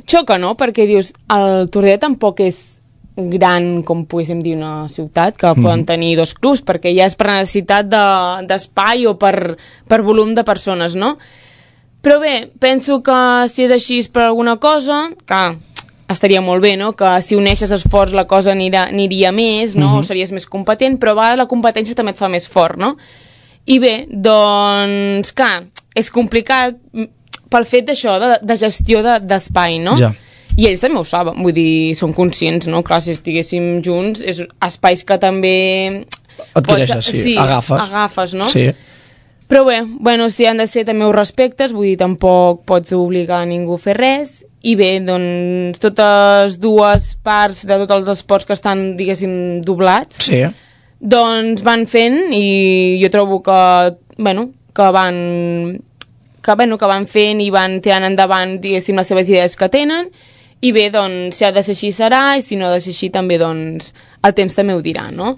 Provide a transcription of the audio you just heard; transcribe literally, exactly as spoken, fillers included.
xoca, no? Perquè dius, el Tordera tampoc és gran, com poguéssim dir, una ciutat, que mm. poden tenir dos clubs, perquè ja és per necessitat d'espai de, o per, per volum de persones, no? Però bé, penso que si és així és per alguna cosa, que estaria molt bé, no? Que si uneixes esforç la cosa anirà, aniria més, no? Mm-hmm. O series més competent, però a vegades la competència també et fa més fort, no? I bé, doncs, clar, és complicat pel fet d'això, de, de gestió d'espai, de, no? Ja. I ells també ho saben, vull dir, són conscients, no? Clar, si estiguéssim junts, és espais que també... Adquireixes, sí, sí, agafes. agafes, no? Sí. Però bé, bueno, si han de ser també ho respectes, vull dir, tampoc pots obligar a ningú a fer res, i bé, doncs, totes dues parts de tots els esports que estan, diguéssim, doblats, sí. doncs van fent, i jo trobo que, bueno, que van... que, bueno, que van fent i van tirant endavant, diguéssim, les seves idees que tenen, i bé, doncs, si ha de ser així serà, i si no ha de ser així també, doncs, el temps també ho dirà, no?